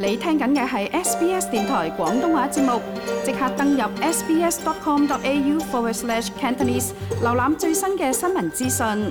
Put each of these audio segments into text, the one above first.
你聽緊嘅係 SBS 電台廣東話節目，即刻登入 sbs.com.au/Cantonese 瀏覽最新嘅新聞資訊。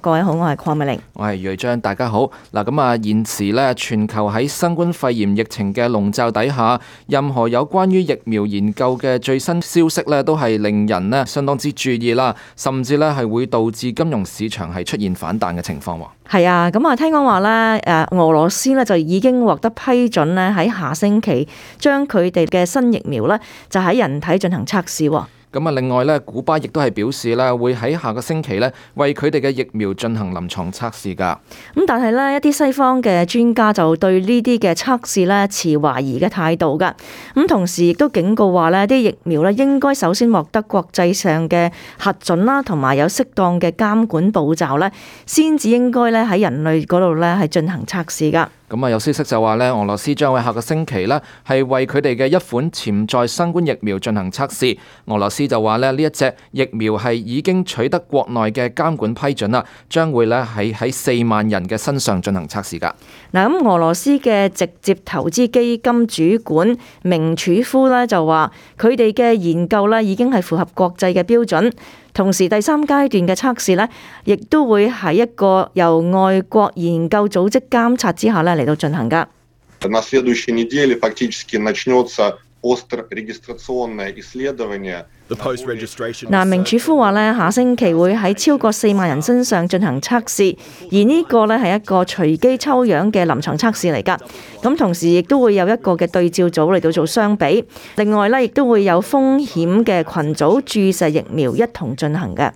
各位好，我係鄺美玲，我係瑞章，大家好。嗱，咁啊，現時咧全球喺新冠肺炎疫情嘅籠罩底下，任何有關於疫苗研究嘅最新消息咧，都係令人咧相當之注意啦，甚至咧係會導致金融市場係出現反彈嘅情況。係啊，咁啊，聽講話咧，俄羅斯咧就已經獲得批准咧，喺下星期將佢哋嘅新疫苗咧就喺人體進行測試。咁啊，另外咧，古巴亦都係表示咧，會喺下個星期咧，為佢哋嘅疫苗進行臨床測試㗎。咁但係咧，一啲西方嘅專家就對呢啲嘅測試咧持懷疑嘅態度㗎。咁同時亦都警告話咧，啲疫苗咧應該首先獲得國際上嘅核准啦，同埋有適當嘅監管步驟咧，先至應該咧喺人類嗰度咧係進行測試㗎。咁啊，有消息就話咧，俄羅斯將會下個星期咧係為佢哋嘅一款潛在新冠疫苗進行測試。俄羅斯就話咧，呢一隻疫苗係已經取得國內嘅監管批准啦，將會咧喺4萬人嘅身上進行測試㗎。嗱，咁俄羅斯嘅直接投資基金主管明楚夫咧就話，佢哋嘅研究咧已經係符合國際嘅標準。同時第3階段嘅測試呢，亦都會喺一個由外國研究組織監察之下呢嚟到進行㗎。明楚夫話呢，下星期會喺超過4萬人身上進行測試，而呢個呢係一個隨機抽樣嘅臨床測試嚟㗎。咁同時亦都會有一個嘅對照組嚟到做相比，另外呢亦都會有風險嘅群組注射疫苗一同進行嘅。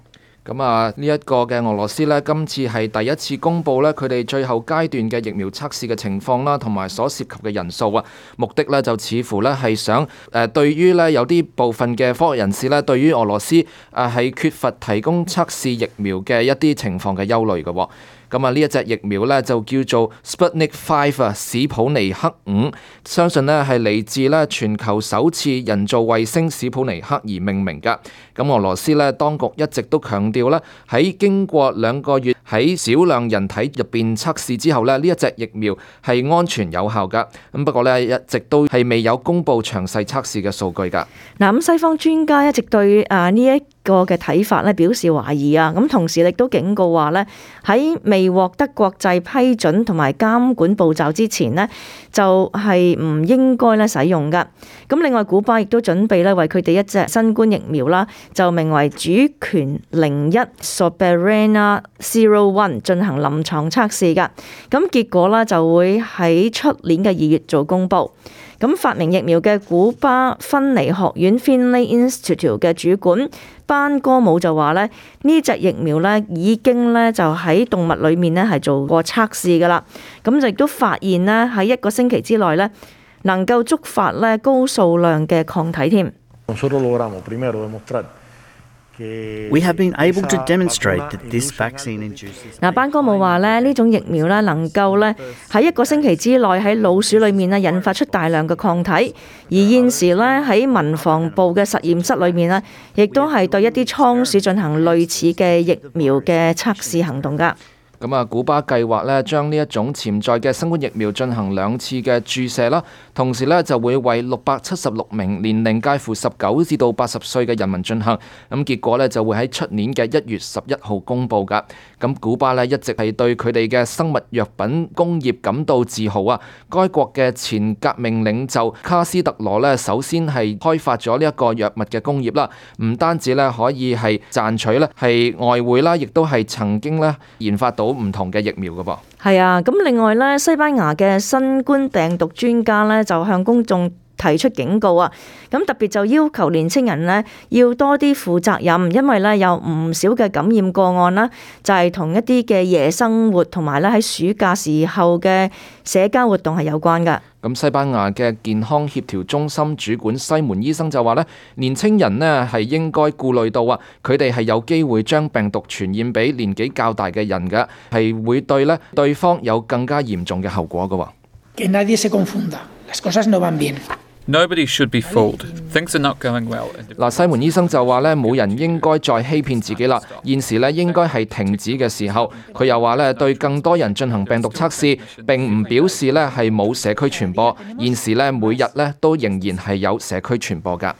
咁啊，呢一個嘅俄羅斯呢，今次係第一次公布呢佢哋最後階段嘅疫苗測試嘅情況啦，同埋所涉及嘅人數啊，目的呢就似乎呢係想對於呢有啲部分嘅科學人士呢，對於俄羅斯係缺乏提供測試疫苗嘅一啲情況嘅憂慮嘅。咁啊，呢一隻疫苗呢就叫做 Sputnik 5啊，史普尼克5，相信呢係嚟自呢全球首次人造衛星史普尼克而命名㗎。咁俄羅斯呢當局一直都強調呢，喺經過2個月喺少量人體入邊測試之後呢，呢一隻疫苗係安全有效㗎。咁不過呢，一直都係未有公布詳細測試嘅數據㗎。嗱，咁西方專家一直對呢一個嘅睇法咧表示懷疑啊，咁同時亦都警告話咧，喺未獲得國際批准同埋監管步驟之前呢，就係唔應該咧使用噶。咁另外古巴亦都準備咧為佢哋一隻新冠疫苗啦，就名為主權01 Soberana 01進行臨床測試噶。咁結果啦就會喺出年嘅2月做公佈。咁發明疫苗嘅古巴芬尼學院 Finlay Institute 嘅主管班哥姆就話咧，呢隻疫苗咧已經咧就喺動物裏面咧係做過測試噶啦，咁就亦都發現咧喺1個星期之內咧能夠觸發咧高數量嘅抗體添。We have been able to demonstrate that this vaccine induces。班哥姆話咧，呢種疫苗咧能夠咧喺1個星期之內喺老鼠裏面咧引發出大量嘅抗體，而現時咧喺民防部嘅實驗室裏面咧，亦都係對一啲倉鼠進行類似嘅疫苗嘅測試行動㗎。咁啊，古巴計劃咧將呢一種潛在嘅新冠疫苗進行2次嘅注射啦，同時咧就會為676名年齡介乎19至到80歲嘅人民進行。咁結果咧就會喺出年嘅1月11號公佈㗎。咁古巴咧一直係對佢哋嘅生物藥品工業感到自豪啊！該國嘅前革命領袖卡斯特羅咧首先係開發咗呢一個藥物嘅工業啦，唔單止咧可以係賺取咧係外匯啦，亦都係曾經咧研發到唔同嘅疫苗㗎噃。係啊，咁另外咧，西班牙嘅新冠病毒專家咧就向公眾提出警告啊！咁特別就要求年青人呢要多啲負責任，因為咧有唔少嘅感染個案啦，就係同一啲嘅夜生活同埋咧喺暑假時候嘅社交活動係有關㗎。咁西班牙嘅健康協調中心主管西門醫生就話咧，年青人呢係應該顧慮到啊，佢哋係有機會將病毒傳染俾年紀較大嘅人嘅，係會對咧對方有更加嚴重嘅後果㗎。Que nadie se confunda, las cosas no van bien. Nobody should be fooled. Things are not going well. 嗱，西門醫生就話咧，冇人應該再欺騙自己啦。現時咧應該係停止嘅時候。佢又話咧，對更多人進行病毒測試，並唔表示咧係冇社區傳播。現時咧每日咧都仍然係有社區傳播㗎。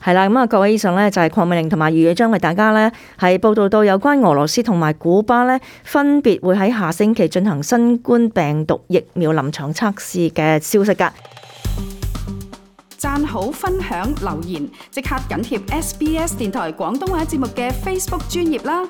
係啦，咁啊，各位以上呢，就係鄺美玲同埋余宇將為大家呢係報道到有關俄羅斯同埋古巴呢分別會喺下星期進行新冠病毒疫苗臨床測試嘅消息㗎。讚好、分享、留言，即刻緊貼SBS 電台廣東話節目嘅 Facebook 專頁啦！